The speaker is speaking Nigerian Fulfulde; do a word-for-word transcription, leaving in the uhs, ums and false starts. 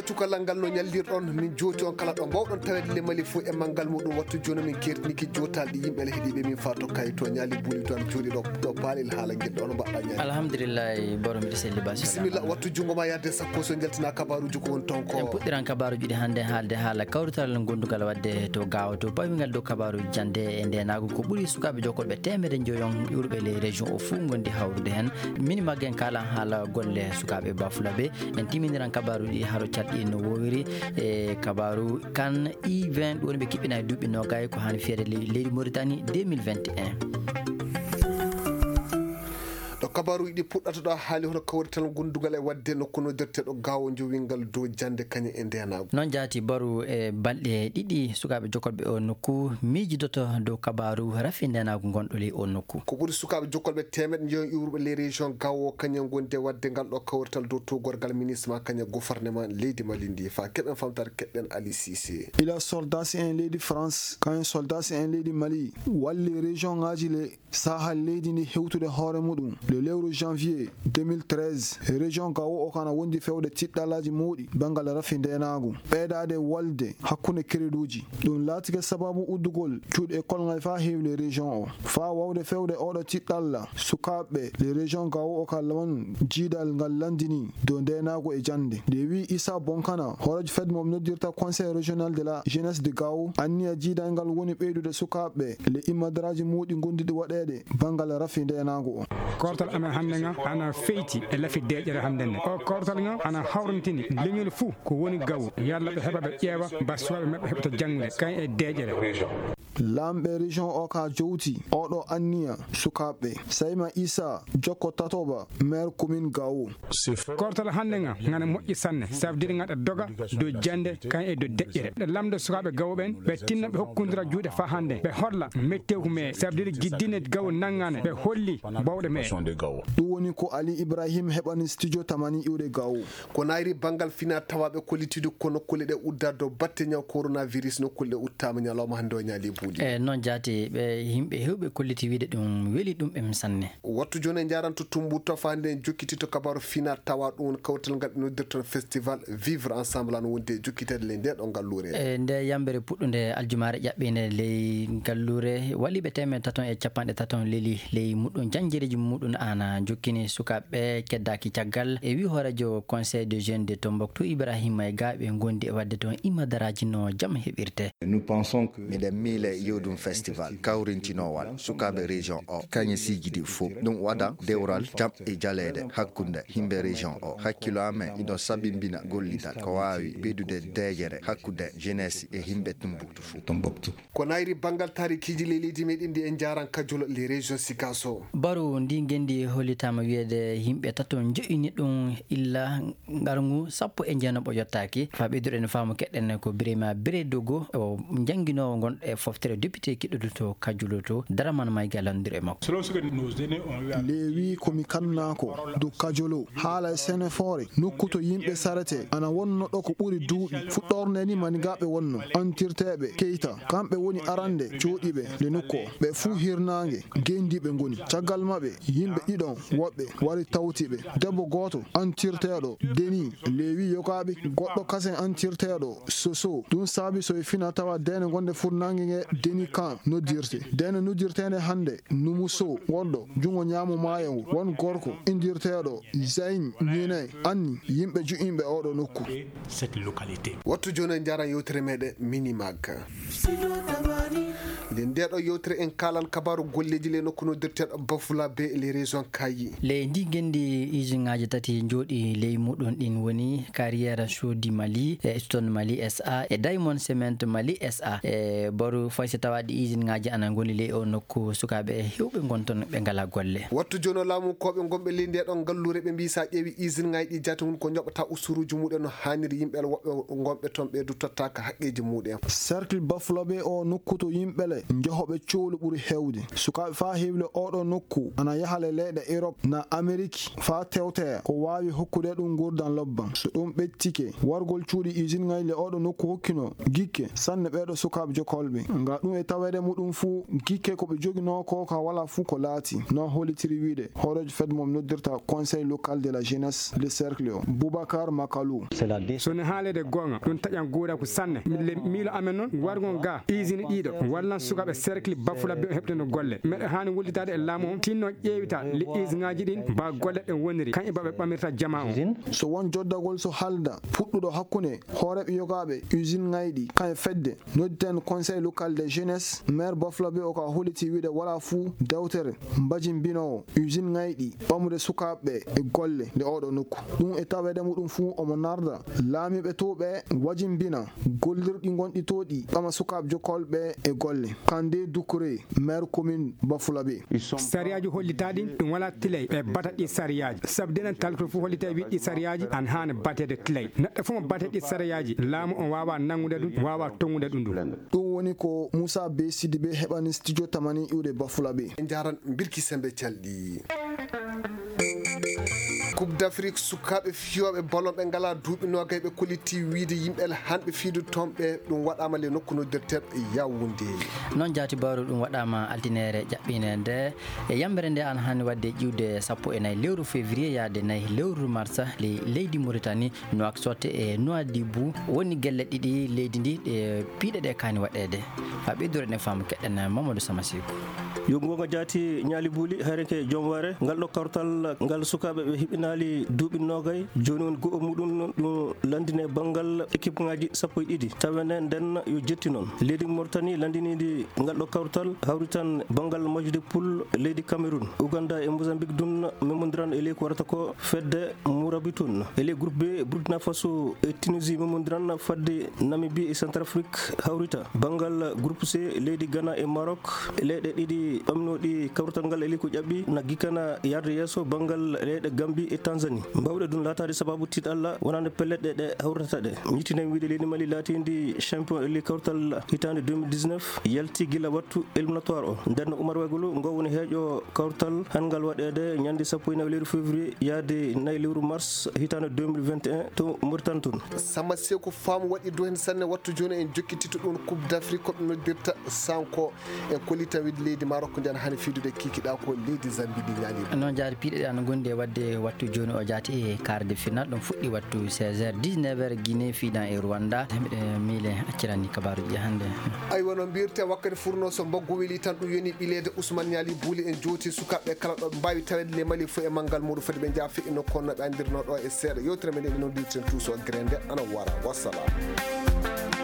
ko cukalal ngal no ñallirɗon min jooti on kala ɗo mbawɗon tawede le Mali fo e manggal muɗum wattu joni min kertiniki jotalɗi yimɓe le heeɗiɓe min fato kay to ñaali buuli to am jooɗi ɗo ɗo baalel haala guel ɗo no mbaɗɗa ñaali alhamdulillahi borom mbiɗa selli basi bisimilla wattu jungo ma yadde sappo so jaltina kabaruji ko woni ton ko en puɗɗiran kabaruji ɗi hannde haalde haala kawrutal gondugal wadde to gawa to bawingal dow kabaruji jande e ndenago ko ɓuuri sukaɓe jokkolɓe temedde joyon yurɓe les région o fuu gondi hawrude hen mini maggen kala haala golle sukaɓe bafulaɓe en timiniran kabaruji haro catɗi no wowiri e kabaru kan i vingt ɗo woni ɓe kiɓɓina e duuɓi nogay ko hani fiyede leydi Mauritanie deux mille vingt et un. ɗo kabaruji ɗi puɗɗata ɗo haali hono kawrital gondugal e wadde nokku noddirteɗo gawo jowingal dow jande kañum e ndenago noon jaati baru e balɗe ɗiɗi sukaɓe jokkolɓe o nokku miijidoto dow kabaru rafi ndenago gonɗo ley o nokku ko ɓuuri sukaɓe jokkolɓe temedde jeeyi iwruɓe les région gawo kañum gonde wadde ngal ɗo kawrital dow togorgal ministre ma kañum gouvernement leydi Mali ndi fa keɓen famtare keɗɗen Ali Cissé. Il a soldat si en leydi France kañum soldat si en leydi Mali walli région ngaji le sahal leydi ndi hewtude hoore muɗum le lewru janvier deux mille treize région gawo o kana wondi fewde tiɗɗalaji mawɗi bangal rafi ndenago ɓeydade walde hakkunde créduji ɗum laatike sababu uddugol cuuɗi école ngal fa heewle région o fa wawde fewde oɗo tiɗɗalla sukaɓe le région gawo o ka laman jiidal ngal landini dow ndenago e jande nde wi Issa Bonkana horejo fed mom noddirta conseil régional de la jeunesse de Gao anniya jiidal ngal woni ɓeydude sukaɓe le imadaraji muɗi gondiɗi waɗede bangal rafi ndenago o hande nga ana feyti e lafi deƴere hande nde o kortal nga ana hawrantini leñol fuu ko woni gawo yalla ɓe heɓa ɓe ƴeewa basuwaɓe mabɓe heɓata jangde kañ e deƴere lamɓe région o ka jowti oɗo anniya sukaɓe Sayma Issa jokko tatoba maire commune gawo kortal hande nga ngana moƴƴi sanne ça veut dire ngaɗa doga dow jande kañ e dow deƴƴere ɗe lamde sukaɓe gawo ɓen ɓe tinna ɓe hokkudira juuɗe fa hande ɓe holla mettew ko me ça veut dire guiddine gawo naggane ɓe holli bawɗe me ɗum woni ko Ali Ibrahim heɓani studio tamani iwde gawo ko nayri bangal fina tawaɓe kollitude ko nokkule ɗe uddade dow batte ñaw coronavirus nokkule ɗe uttama ñalawma hande o ñaali buuli e noon jaati ɓe yimɓe hewɓe kolliti wiide ɗum weeli ɗum ɓe sanne wattu joni e jaranto tumbu tofande en jokkitito kabaru fina tawa ɗum kawtal ngal noddirton festival vivre ensemble an wonde jokkitede le nde ɗo ngallure e nde yambere puɗɗude aljumare ƴaɓɓinde ley ngallure waliɓe temen taton e capanɗe taton leli ley muɗum janjereji muɗum ana jokkini sukaɓe keddaki caggal e wi horejo conseil de jeunes de Tombouctou Ibrahima e gaɓe gondi e wadde toon imadaraji no jaam heɓirte. Nous pensons que miɗen miile yewɗum festival kawrintinowal sukaɓe région o kañe sijiɗi fof ɗum waɗa dewral jam e jalede hakkunde himɓe région o hakkilo amen iɗon sabimbina gollidal ko wawi ɓeydude deƴere hakkude jeunesse e himɓe Tombouctou fof Tombouctou ko nayri bangal tarikiji leydi meɗen ndi en jaran kajolo les régions Sikaso baru ndi gendi hollitama wiyede yimɓe taton joƴini ɗum illa ngargu sappo e jeenaɓo yottaki fa ɓeyduɗen faamu keɗɗen ko Birima Biredogo o jangguinowo gonɗo e foftere député kiɗɗuɗo to Kajulo to Daraman Mayga landir e makko lewi komi kannako dow Kajolo haala e Sénéfore nokku to yimɓe sarete ana wonno ɗo ko ɓuuri duuɓi fuɗɗorde ni manigaɓe wonno antirteɓe Keita kamɓe woni arande jooɗiɓe le nokku o ɓe fuu hirnangue gendiɓe goni caggal mabɓe yimɓe ɗiɗon woɓɓe wari tawtiɓe debbo goto antirteɗo Deni lewi yokaɓe goɗɗo kasen antirteɗo Soso ɗum saabi so e fina tawa dene gonde furnangue nge Deni kan noddirte dene noddirtede hande Numuso wonɗo jungo ñaamo maayo ngu won gorko indirteɗo Zayn Ñine anni yimɓe ju'imɓe oɗo nokku wattu joni en jaran yewtere meɗen Minimag nde ndeɗo yewtere en kalan kabaru golleji le nokku noddirteɗo Bafula be les régions Kayi ley ndi gendi usine ngaji tati jooɗi ley muɗum ɗin woni Carrière Chaux du Mali e Stone Mali S A e Diamond Cement Mali S A e boru faysi tawaɗi usine ngaji ana goni ley o nokku sukaɓe hewɓe gonton ɓe ngala golle wattu joni laamu koɓe gonɓe ley ndeɗo ngallure ɓe mbi sa ƴeewi usine ngaji ɗi jati hun ko joɓata usuruji muɗum no hanniri yimɓe woɓɓe gonɓe toon ɓe du tottaka haqqeji muɗum cercle Bafula ɓe o nokku to yimɓe le sukaɓe jehoɓe cohlu ɓuri hewde. Sukaɓe fa hewle oɗo nokku ana yahale leyɗe Europe na Amerique fa tewteya ko wawi hokkude ɗum gurdan lobban. So ɗum ɓettike wargol cuuɗi usine ngayle oɗo nokku hokkino gikke sanne ɓeɗo sukaɓe jokolɓe nga ɗum e tawede muɗum fu gikke koɓe jogino ko ka wala fu ko laati non holitiri wiide horejo fed mom noddirta conseil local de la jeunesse le cercle o Boubacar Makalou. sone haalede gonga ɗum taƴan guuɗa ko sanne le miilo amen noon wargon ga usine ɗiɗo wallan sukaɓe cercle bafula be heɓteno golle meɗe hani wullitade e laamu on tinno ƴeewita le usine ngaji ɗin mba golle ɗe woniri kañƴe baɓe ɓamirta jama on. So won joddagol so halda puɗɗuɗo hakkunde hooreɓe yogaɓe usine ngayɗi kañe fedde nodditen conseil local de jeunesse maire bafula be o ka holliti wiide wala fuu dewtere mbajimbinowo usine ngayɗi ɓamude sukaɓe e golle nde oɗo nokku ɗum e tawede muɗum fuu omo narda laamiɓe to ɓe wajimbina gollirɗi gonɗi to ɗi ɓama sukaɓe jokolɓe e golle kande Doucouré maire commune Bafulabe. sariyaji hollitaɗi ɗum wala tilay ɓe bata ɗi sariyaji sabu denen talko fof hollita wi ɗi sariyaji an hane batede tilay neɗɗo fof mo bate ɗi sariyaji laamu on wawa nangude ɗum wawa tongude ɗum ɗum ɗum woni ko Moussa Be Sidibé heɓani studio tamani iwde Bafulabe. jaran birki sembe calɗi Coupe d'Afrique sukaɓe fiyoɓe ballon ɓe ngala duuɓi nogay ɓe kolliti wiide yimɓe hanɓe fiidu tomɓe ɗum waɗama le nokku noddirteɓe Yaoundé. noon jaati bawru ɗum waɗama altinere ƴaɓɓine nde e yambere nde an hani wadde ƴiwde sappo e nayyi lewru février yaade nayyi lewru mars le leydi Mauritanie Nouakchott e Nouadhibou woni gelle ɗiɗi leydi ndi ɗe piiɗe ɗe kani waɗede ha ɓeydore ne faamu keɗɗen Mamadou Samasikou. yo gonga jaati ñaali buuli hayreke joom ware ngal ɗo kawtal ngal sukaɓe ɓe hiɓinali duuɓi nogay joni won go'o muɗum ɗum landine banggal équipe ngaji sappo e ɗiɗi tawene nden yo jetti noon leydi Mauritanie landinidi ngal ɗo kawtal hawri tan banggal majjude poule leydi Cameroun Ouganda e Mozambique dun memodiran e ley ko warata ko fedde Mourabitoun e ley groupe B Burkina Faso e Tunisie memodiran fadde Namibie e Centrafrique hawrita banggal groupe C leydi Ghana e Maroc leyɗe ɗiɗi ɓamnoɗi kawtal ngal e ley ko ƴaɓɓi naggi kana yarde yesso banggal leyɗe Gambie e Tanzanie mbawɗe ɗum latade sababu tiɗ Allah wonande pelleɗe ɗe hawrata ɗe ñittinen wiide leydi Mali latidi champion e ley kawtal hitande deux mille dix-neuf yalti gila wattu éliminatoire o nden Oumar Wagulu ngo woni heeƴo kawtal hangal waɗede ñande sappo e nayi lewru février yaade nayi lewru mars hitande deux mille vingt et un to Mauritanie toon. Samba Seko faamu waɗi do hen sanne wattu joni en jokkitito ɗum Coupe d'Afrique ko ɗum noddirta sanko e kollita wiide leydi Maroc nden hani fiidude kikiɗa ko leydi Zambie ɗi ñaani noon jaari piiɗe ɗe ana gondi e wadde wattu joni o jaati e quart de finale ɗum fuɗɗi wattu seize heures dix-neuf heures Guinée fiidan e Rwanda miɗe miile accirani kabaruji hannde aywa no mbirte wakkati furno so mbaggu weeli tan ɗum yoni ɓileede Ousmane Niali Bouli en jooti sukaɓe kala ɗo mbawi tawede le Mali fo e manggal muɗum foti ɓe jaafi ino konno ɓe andirno ɗo e seeɗa yewtere men ɗe noon dirten tous o grende ana wara wassalam.